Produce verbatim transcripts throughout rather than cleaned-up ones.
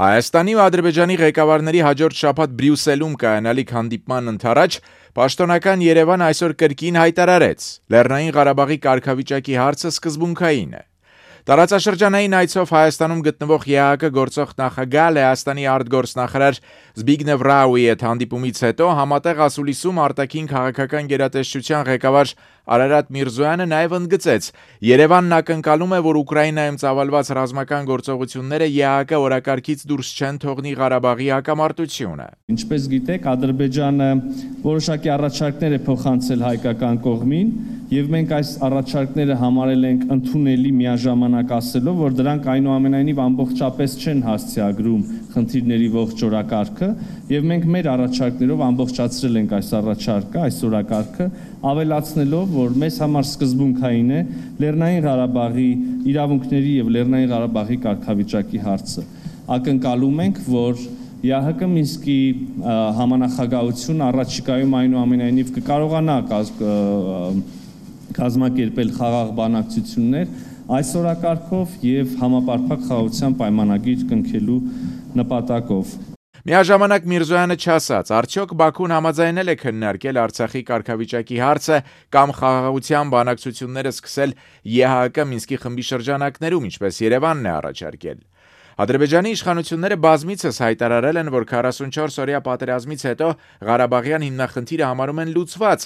Հայաստանի ու Ադրբեջանի ղեկավարների հաջորդ շաբաթ Բրյուսելում կայանալիք հանդիպման ընդառաջ պաշտոնական Երևան այսօր կրկին հայտարարեց՝ Լեռնային Ղարաբաղի կարգավիճակի հարցը սկզբունքային է։ Տարածաշրջանային այցով Հայաստանում գտնվող ԵԱՀԿ գործող նախագահ Լեհաստանի արտգործնախարար Զբիգնև Ռաուի հետ հանդիպումից հետո համատեղ ասուլիսում արտաքին քաղաքական գերատեսչության ղեկավար Արարատ Միրզոյանը նաև ընդգծեց՝ Երևանն ակնկալում է, որ Ուկրաինայում ծավալված ռազմական գործողությունները ԵԱՀԿ օրակարգից դուրս չեն թողնի Ղարաբաղի հակամարտությունը։ Ինչպես գիտեք, Ադրբեջանը որոշակի առաջարկներ է փոխանցել հայկական կողմին, եւ մենք այս առաջարկները համարել ենք ընդունելի միաժամանակ ասելով, որ դրանք այնուամենայնիվ ամբողջապես չեն հասցեագրում խնդիրների ողջ օրակարգը, եւ մենք մեր առաջարկներով ամբողջացրել ենք այս առաջարկը, այս օրակարգը, ավելացնելով, որ մեզ համար սկզբունքային է Լեռնային Ղարաբաղի իրավունքների եւ Լեռնային Ղարաբաղի կարգավիճակի հարցը։ Ակնկալում ենք, որ ԵԱՀԿ Մինսկի համանախագահությունը առաջիկայում այնուամենայնիվ կկարողանա կազմակերպել խաղաղ բանակցություններ այս օրակարգով եւ համապարփակ խաղաղության պայմանագիր կնքելու նպատակով։ Միաժամանակ Միրզոյանը չասաց, արդյոք Բաքուն համաձայնել է քննարկել Արցախի կարգավիճակի հարցը կամ խաղաղության բանակցությունները սկսել ԵԱՀԿ Մինսկի խմբի շրջանակներում, ինչպես Երևանն է առաջարկել։ Ադրբեջանի իշխանությունները բազմիցս հայտարարել են, որ քառասունչորս օրյա պատերազմից հետո Ղարաբաղյան հիմնախնդիրը համարում են լուծված,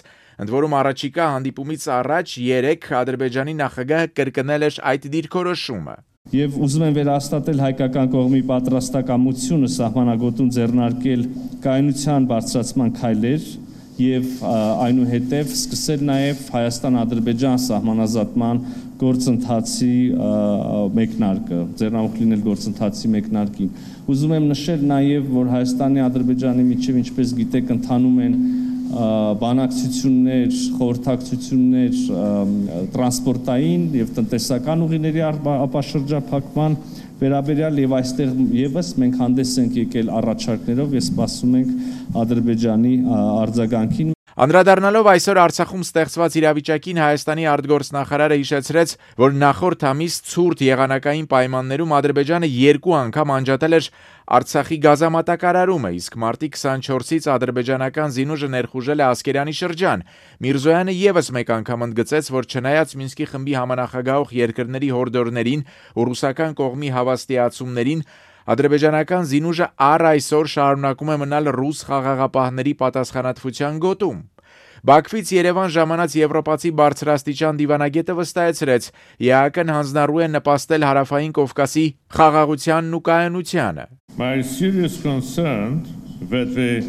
ընդ որում առաջիկա հանդիպումից առաջ երեկ Ադրբեջանի նախագահը կրկնել էր այդ դիրքորոշումը։ Եվ ուզում եմ վերահաստատել հայկական կողմի պատրաստակամությունը սահմանագոտում ձեռնարկել կայունության բարձրացման քայլեր եւ այնուհետեւ սկսել նաեւ Հայաստան-Ադրբեջան սահմանազատման գործընթացի մեկնարկը, ձեռնամուխ լինել գործընթացի մեկնարկին։ Ուզում եմ նշել նաեւ, որ Հայաստանի Ադրբեջանի միջև, ինչպես գիտեք, ընթանում են բանակցություններ, խորհրդակցություններ տրանսպորտային եւ տնտեսական ուղիների ապաշրջափակման վերաբերյալ եւ այստեղ եւս մենք հանդես ենք եկել առաջարկներով եւ սպասում ենք Ադրբեջանի արձագանքին։ Անդրադառնալով այսօր Արցախում ստեղծված իրավիճակին Հայաստանի արտգործնախարարը հիշեցրեց, որ նախորդ ամիս ցուրտ եղանակային պայմաններում Ադրբեջանը երկու անգամ անջատել էր Արցախի գազամատակարարումը, իսկ մարտի քսանչորսից ադրբեջանական զինուժը ներխուժել է Ասկերանի շրջան։ Միրզոյանը եւս մեկ անգամ ընդգծեց, որ չնայած Մինսկի խմբի համանախագահող երկրների հորդորներին ու ռուսական կողմի հավաստիացումներին, ադրբեջանական զինուժը առ այսօր շարունակում է մնալ ռուս խաղաղապահների պատասխանատվության գոտում։ Բաքվից Երևան ժամանած եվրոպացի բարձրաստիճան դիվանագետը վստահեցրեց, ԵԱՀԿ-ն հանձնառու է նպաստել Հարավային Կովկասի խաղաղությանն ու կայունությանը։ My serious concern that the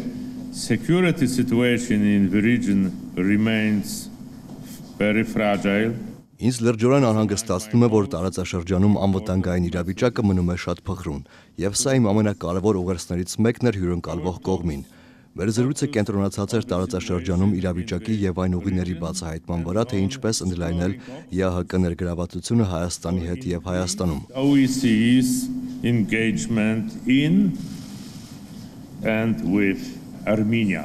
security situation in the region remains very fragile. Ինձ լրջորեն անհանգստացնում է, որ տարածաշրջանում անվտանգային իրավիճակը մնում է շատ փխրուն, եւ սա իմ ամենակարևոր ուղերձներից մեկն էր հյուրընկալվող կողմին։ Մեր զրույցը կենտրոնացած էր տարածաշրջանում իրավիճակի եւ այն ուղիների բացահայտման վրա, թե ինչպես ընդլայնել ԵԱՀԿ ներգրավվածությունը Հայաստանի հետ եւ Հայաստանում։ O E C's engagement in and with Armenia.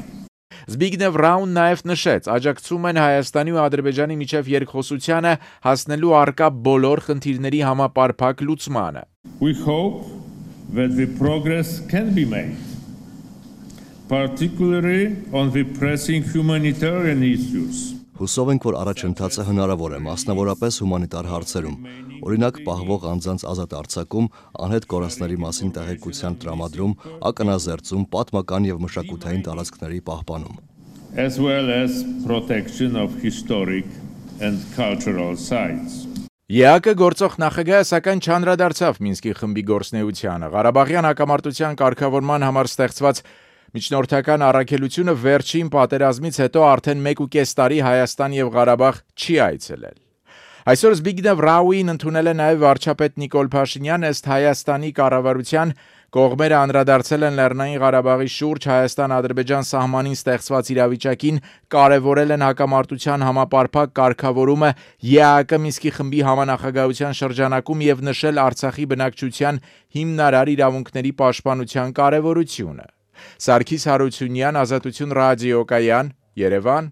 Զբիգնև Ռաուն նաև նշեց, աջակցում են Հայաստանի ու Ադրբեջանի միջև երկխոսությանը հասնելու առկա բոլոր խնդիրների համապարփակ լուծմանը։ We hope that the progress can be made, particularly on the pressing humanitarian issues. Հուսով ենք, որ առաջընթացը հնարավոր է, մասնավորապես հումանիտար հարցերում, օրինակ պահվող անձանց ազատ արձակում, անհետ կորածների մասին տեղեկության տրամադրում, ակնազերծում, պատմական եւ մշակութային տարածքների պահպանում, as well as protection of historic and cultural sites. ԵԱՀԿ գործող նախագահը սակայն չանդրադարձավ Մինսկի խմբի գործնեությանը։ Ղարաբաղյան հակամարտության կարգավորման համար ստեղծված միջնորդական առաքելությունը վերջին պատերազմից հետո արդեն մեկ ու կես տարի Հայաստան եւ Ղարաբաղ չի այցելել։ Այսօր Զբիգնև Ռաուին ընդունել է նաև վարչապետ Նիկոլ Փաշինյան, ըստ Հայաստանի կառավարության կողմերը անդրադարձել են Լեռնային Ղարաբաղի շուրջ Հայաստան-Ադրբեջան սահմանին ստեղծված իրավիճակին, կարևորել են հակամարտության համապարփակ կարգավորումը ԵԱՀԿ Մինսկի խմբի համանախագահության շրջանակում եւ նշել Արցախի բնակչության հիմնարար իրավունքների պաշտպանության կարևորությունը։ Սարգիս Հարությունյան, Ազատություն ռադիոկայան, Երևան։